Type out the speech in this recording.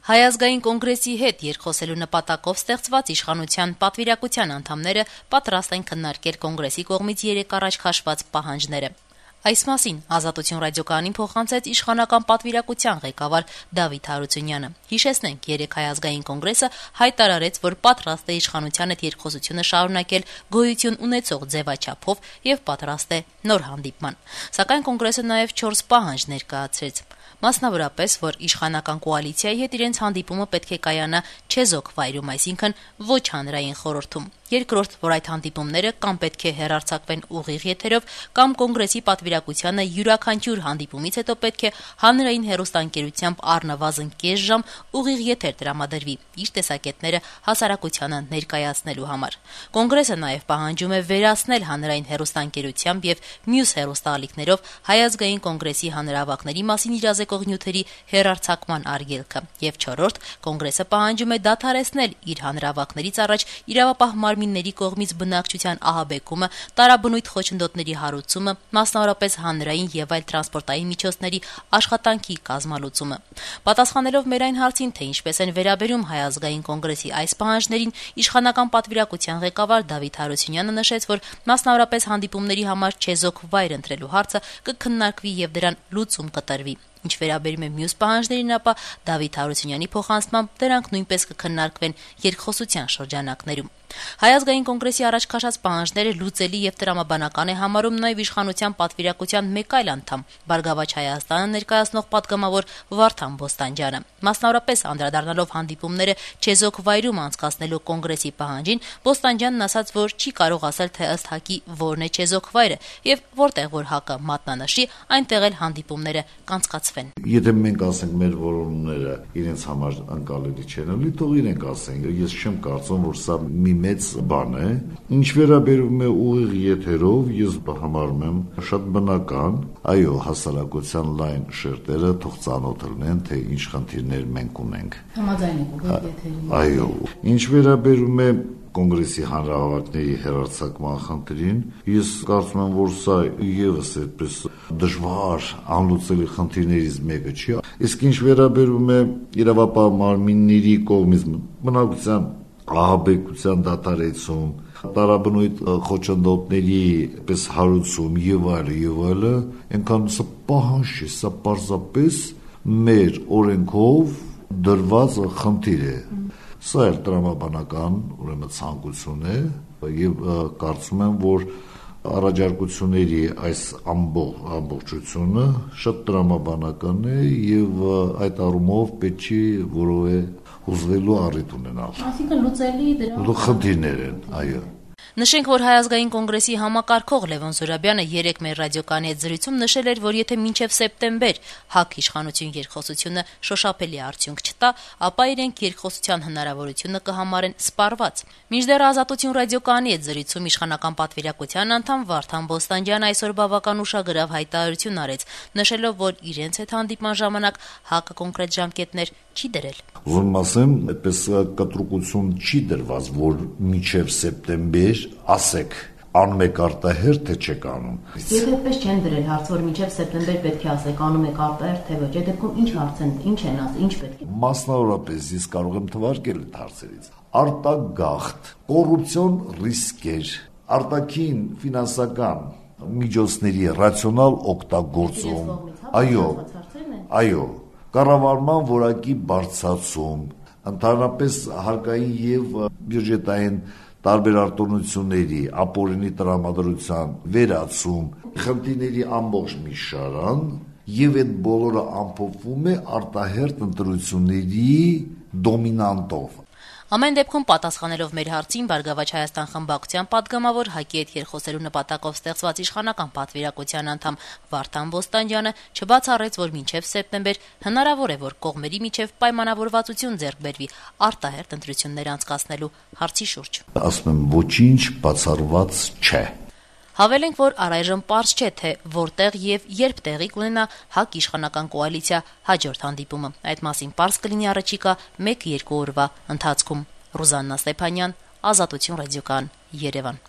Հայ ազգային կոնգրեսի հետ երկխոսելու նպատակով ստեղծված իշխանության պատվիրակության անդամները պատրաստ են քննարկել կոնգրեսի կողմից երեկ առաջ քաշված պահանջները։ Այս մասին «Ազատություն» ռադիոկայանին փոխանցեց իշխանական պատվիրակության ղեկավար Դավիթ Հարությունյանը։ Հիշեցնենք, երեկ Հայ ազգային կոնգրեսը հայտարարեց, որ պատրաստ է իշխանության հետ երկխոսությունը շարունակել գոյություն ունեցող ձևաչափով եւ պատրաստ է նոր հանդիպման։ Սակայն կոնգրեսը նաեւ 4 պահանջ ներկայացրեց։ Մասնավորապես, որ իշխանական կոալիցիայի հետ իրենց հանդիպումը պետք է կայանա չեզոք վայրում, այսինքն ոչ հանրային խորհրդում։ Երկրորդ, որ այդ հանդիպումները կամ պետք է հեռարձակվեն ուղիղ եթերով, կամ կոնգրեսի պատվիրակությանը յուրաքանչյուր հանդիպումից հետո պետք է հանրային հեռուստաընկերությամբ առնվազն կես ժամ ուղիղ եթեր տրամադրվի իր տեսակետները հասարակությանը ներկայացնելու համար։ Կոնգրեսը նաև պահանջում է վերացնել հանրային հեռուստաընկերությամբ եւ մյուս հեռուստաալիքներով Հայ ազգային կոնգրեսի հանրահավաքների մասին իրազեկող նյութերի հեռարձակման արգելքը։ Եվ չորրորդ, կոնգրեսը պահանջում է դադարեցնել իր հանրահավաքներից առաջ իրավապահ մարմինների կողմից բնակչության ահաբեկումը, տարաբնույթ խոչընդոտների հարուցումը, մասնավորապես հանրային եւ այլ տրանսպորտային միջոցների աշխատանքի կազմալուծումը։ Պատասխանելով մեր այն հարցին, թե ինչպես են վերաբերում Հայ ազգային կոնգրեսի այս պահանջներին, իշխանական պատվիրակության ղեկավար Դավիթ Հարությունյանը նշեց, որ մասնավորապես հանդիպումների համար չեզոք վայր ընտրելու հարցը կքննարկվի եւ դրան լուծում կտրվի։ Ինչ վերաբերում է մյուս պահանջներին, ապա Դավիթ Հարությունյանի փոխանցմամբ դրանք նույնպես կքննարկվեն երկխոսության շրջանակներում։ Հայ ազգային կոնգրեսի առաջ քաշած պահանջները լուծելի եւ տրամաբանական է համարում նաեւ իշխանության պատվիրակության մեկ այլ անդամ, Բարգավաճ Հայաստանը ներկայացնող պատգամավոր Վարդան Բոստանջյանը։ Մասնավորապես անդրադառնալով հանդիպումները չեզոք վայրում անցկացնելու կոնգրեսի պահանջին, Բոստանջյանն ասաց, որ չի կարող ասել, թե ըստ ՀԱԿ-ի որն է չեզոք վայրը եւ որտեղ որ ՀԱԿ-ը մատնանշի, այնտեղ էլ հանդիպումները կանցկացվեն։ Եթե մենք ասենք մեր որոնումները իրենց համար անկալելի չեն, լի թող իրենք ասեն։ Ես չեմ կարծում, որ սա մի մեծ բան է։ Ինչ վերաբերում է ուղիղ եթերով, ես համարում եմ շատ բնական, այո, հասարակության լայն շերտերը թող ծանոթ լինեն, թե ինչ խնդիրներ մենք ունենք։ Համաձայն եք ուղիղ եթերին։ Այո, ինչ վերաբերում է կոնգրեսի հանրահավաքների հեռարձակման խնդրին, ես կարծում եմ, որ սա եւս այդպես դժվար անլուծելի խնդիրներից մեկը չի։ Իսկ ինչ վերաբերում է իրավապահ մարմինների կողմից բնակության ահաբեկության դադարեցում, տարաբնույթ խոչընդոտների պես հարուցում եւ այլը, այնքան սա պահանջ չէ, սա պարզապես մեր օրենքով դրված խնդիր է։ Սա էլ տրամաբանական, ուրեմն ցանկություն է եւ կարծում եմ, որ առաջարկությունների այս ամբողջությունը շատ տրամաբանական է եւ այդ առումով պետք չի որևէ հուզվելու առիթ ունենալ։ Այսինքն լուծելի դրանք խնդիրներ են, այո։ Նշենք, որ Հայ ազգային կոնգրեսի համակարգող Լևոն Զուրաբյանը երեկ մեր ռադիոկայանի հետ զրույցում նշել էր, որ եթե մինչև սեպտեմբեր ՀԱԿ իշխանություն երկխոսությունը շոշափելի արդյունք չտա, ապա իրենք երկխոսության հնարավորությունը կհամարեն սպառված։ Մինչդեռ Ազատություն ռադիոկայանի հետ զրույցում իշխանական պատվիրակության անդամ Վարդան Բոստանջյանը այսօր բավական ուշագրավ հայտարարություն արեց, նշելով, որ իրենց հետ հանդիպման ժամանակ ՀԱԿ-ը կոնկրետ ժամկետներ չի դրել։ Ուզում ասեմ, այդպես կտրուկություն չի դրված, որ մինչև սեպտեմբեր ասեք անում եք արտահերթ, թե չեք անում։ Եթե այդպես չեն դրել հարց, որ մինչև սեպտեմբեր պետք է ասեք անում եք արտահերթ, թե ոչ, այդ դեպքում ինչ հարց են, ինչ են ասել, ինչ պետք է։ Մասնավորապես ես կարող եմ թվարկել այդ հարցերից։ Արտագաղթ, կոռուպցիոն ռիսկեր, արտաքին ֆինանսական միջոցների ռացիոնալ օգտագործում, այո, կառավարման որակի բարձրացում, ընդհանրապես հարկային եւ բյուջետային տարբեր արտոնությունների ապօրինի տրամադրության վերացում, խնդիրների ամբողջ մի շարան եւ այդ բոլորը ամփոփվում է արտահերթ ընտրությունների դոմինանտով։ Ամեն դեպքում պատասխանելով մեր հարցին Բարգավաճ Հայաստան խմբակցության պատգամավոր ՀԱԿ-ի հետ երկխոսելու նպատակով ստեղծված իշխանական պատվիրակության անդամ Վարդան Բոստանջյանը չբացառեց, որ մինչև սեպտեմբեր հնարավոր է, որ կողմերի միջև պայմանավորվածություն ձեռք բերվի արտահերթ ընտրություններ անցկացնելու հարցի շուրջ։ Ասում եմ, ոչինչ բացառված չէ։ Հավելենք, որ առայժմ պարզ չէ, թե որտեղ եւ երբ տեղի կունենա ՀԱԿ իշխանական կոալիցիա հաջորդ հանդիպումը։ Այդ մասին պարզ կլինի առաջիկա 1-2 օրվա ընթացքում։ Ռուզաննա Ստեփանյան, Ազատություն ռադիոկայան, Երևան։